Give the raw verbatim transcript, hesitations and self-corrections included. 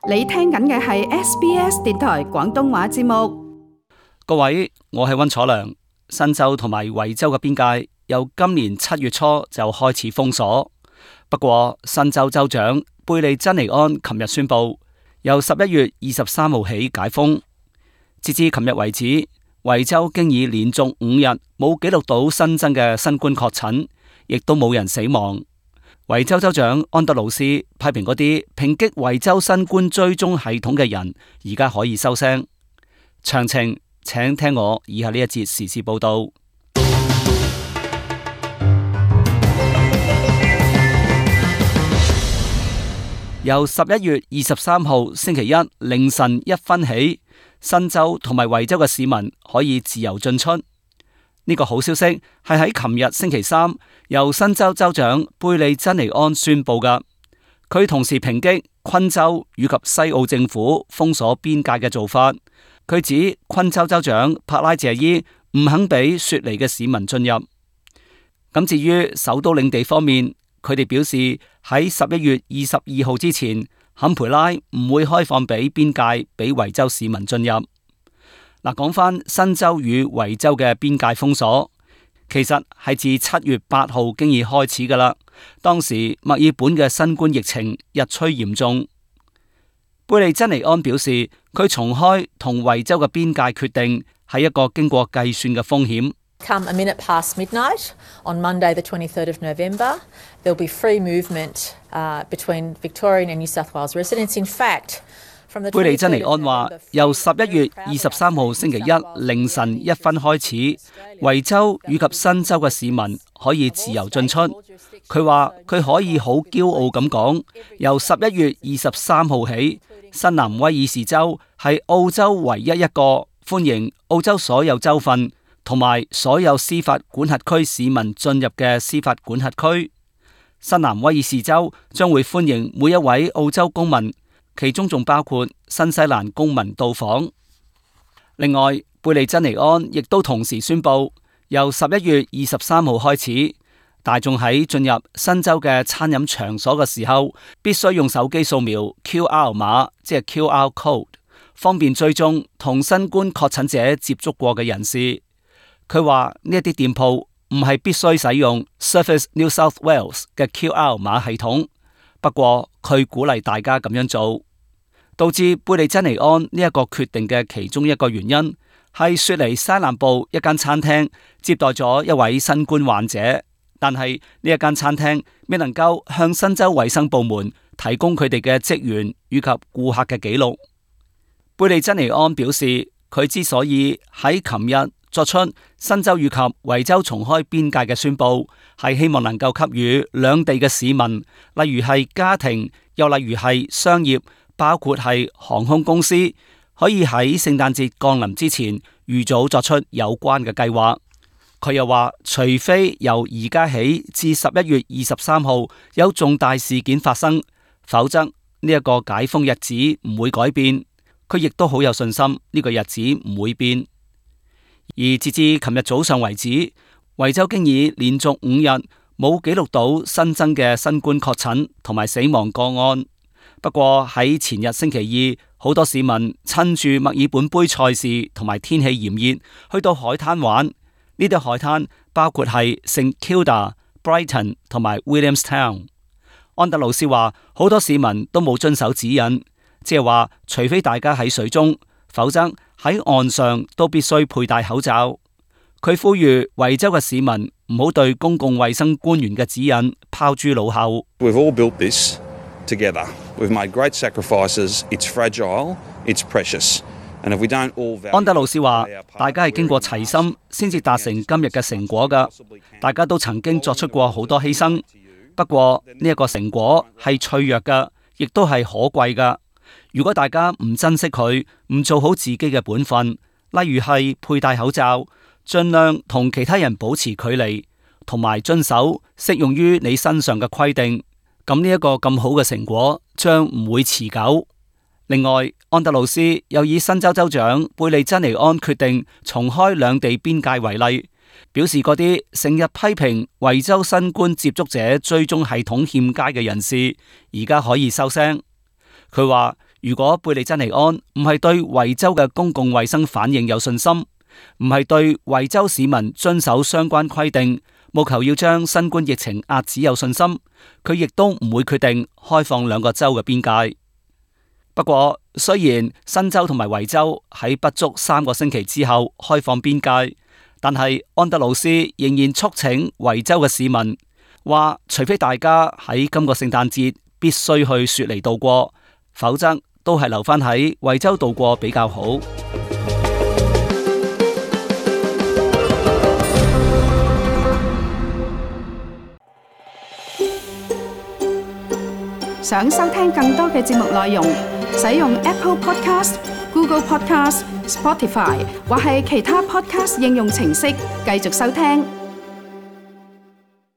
你聽緊嘅係 S B S 電台廣東話節目。各位，我係溫楚良。新州同埋維州嘅邊界由今年七月初就開始封鎖，不過新州州長貝利珍尼安琴日宣布，由十一月二十三號起解封。截至琴日為止，維州經已連續五日冇記錄到新增嘅新冠確診，亦都冇人死亡。維州州長安德魯斯批評嗰啲抨擊維州新冠追蹤系統嘅人，而家可以收聲。詳情請聽我以下呢一節時事報道。由十一月二十三號星期一凌晨一分起，新州同埋維州嘅市民可以自由進出。呢個好消息係喺琴日星期三由新州州長貝利珍尼安宣布㗎。佢同時抨擊昆州以及西澳政府封鎖邊界嘅做法。佢指昆州州長帕拉謝伊唔肯俾雪梨嘅市民進入。咁至於首都領地方面，佢哋表示喺十一月二十二號之前，坎培拉唔會開放俾邊界俾維州市民進入。嗱，講翻新州與維州嘅邊界封鎖，其實係自七月八號經已開始噶啦。當時墨爾本嘅新冠疫情日趨嚴重。貝利珍尼安表示，佢重開同維州嘅邊界決定係一個經過計算嘅風險。Come a minute past midnight on Monday, the twenty-third of November, there will be free movement uh, between Victorian and New South Wales residents. In fact, 貝利珍尼安話，由十一月二十三號星期一凌晨一分開始，維州以及新州嘅市民可以自由進出。佢話佢可以好驕傲咁講，由十一月二十三號起，新南威爾士州係澳洲唯一一個歡迎澳洲所有州份同埋所有司法管轄區市民進入嘅司法管轄區。新南威爾士州將會歡迎每一位澳洲公民，其中仲包括新西蘭公民到訪。另外，貝利珍尼安亦都同時宣布，由十一月二十三號開始，大眾喺進入新州嘅餐飲場所嘅時候，必須用手機掃描 Q R 碼，即係 Q R code， 方便追蹤同新冠確診者接觸過嘅人士。佢話呢一啲店鋪唔係必須使用 Service New South Wales 嘅 Q R 碼系統，不過佢鼓勵大家咁樣做。導致貝利珍尼安呢一個決定嘅其中一個原因係雪梨西南部一間餐廳接待咗一位新冠患者，但係呢一間餐廳未能夠向新州衛生部門提供佢哋嘅職員以及顧客嘅記錄。貝利珍尼安表示，佢之所以喺琴日作出新州以及維州重開邊界嘅宣布，係希望能夠給予兩地嘅市民，例如係家庭，又例如係商業，包括係航空公司，可以喺聖誕節降臨之前預早作出有關嘅計劃。佢又話，除非由而家起至十一月二十三號有重大事件發生，否則呢一個解封日子唔會改變。佢亦都好有信心呢個日子唔會變。而截至琴日早上為止，維州經已連續五日冇記錄到新增嘅新冠確診同埋死亡個案。不過喺前日星期二，好多市民趁住墨爾本杯賽事同埋天氣炎熱，去到海灘玩。呢啲海灘包括係聖 Kilda、Brighton 同埋 Williamstown。安德魯斯話，好多市民都冇遵守指引，即係話除非大家喺水中，否則喺岸上都必須佩戴口罩。佢呼籲維州嘅市民唔好對公共衛生官員嘅指引拋諸腦後。We've all built this together. We've made great sacrifices. It's fragile. It's precious. And if we don't all value... 安德魯斯話，大家係經過齊心先至達成今日嘅成果噶。大家都曾經作出過好多犧牲，不過呢一個成果係脆弱噶，亦都係可貴噶。如果大家唔珍惜佢，唔做好自己嘅本分，例如係佩戴口罩，盡量同其他人保持距離，同埋遵守適用於你身上嘅規定，咁呢一個咁好嘅成果將唔會持久。另外，安德魯斯又以新州州長貝利珍尼安決定重開兩地邊界為例，表示嗰啲成日批評維州新冠接觸者追蹤系統欠佳嘅人士，而家可以收聲。佢話如果貝利珍尼安唔係對維州嘅公共衛生反應有信心，唔係對維州市民遵守相關規定，務求要將新冠疫情遏止有信心，佢亦都唔會決定開放兩個州嘅邊界。不過，雖然新州同埋維州喺不足三個星期之後開放邊界，但係安德魯斯仍然促請維州嘅市民話，除非大家喺今個聖誕節必須去雪梨度過，否則都係留返喺維州度過比較好。想收聽更多嘅節目內容，使用 Apple Podcast、Google Podcast、Spotify 或係其他 Podcast 應用程式繼續收聽。